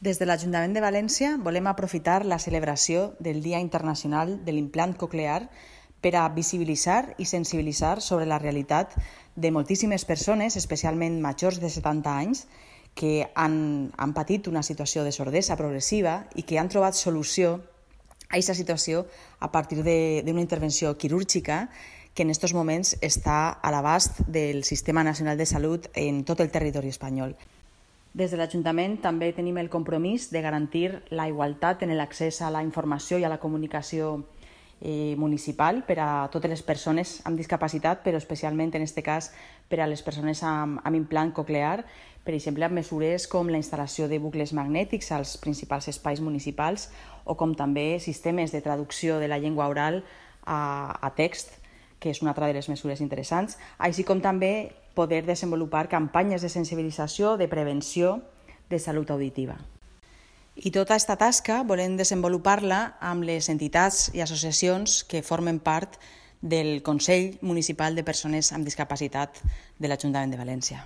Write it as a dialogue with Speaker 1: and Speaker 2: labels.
Speaker 1: Des de l'Ajuntament de València volem aprofitar la celebració del Dia Internacional de l'Implant Coclear per a visibilitzar i sensibilitzar sobre la realitat de moltíssimes persones, especialment majors de 70 anys, que han patit una situació de sordesa progressiva i que han trobat solució a aquesta situació a partir d'una intervenció quirúrgica que en aquests moments està a l'abast del Sistema Nacional de Salut en tot el territori espanyol. Des de l'Ajuntament també tenim el compromís de garantir la igualtat en l'accés a la informació i a la comunicació municipal per a totes les persones amb discapacitat, però especialment en aquest cas per a les persones amb implant coclear, per exemple amb mesures com la instal·lació de bucles magnètics als principals espais municipals o com també sistemes de traducció de la llengua oral a text, que és una altra de les mesures interessants, així com també poder desenvolupar campanyes de sensibilització, de prevenció de salut auditiva. I tota aquesta tasca volem desenvolupar-la amb les entitats i associacions que formen part del Consell Municipal de Persones amb Discapacitat de l'Ajuntament de València.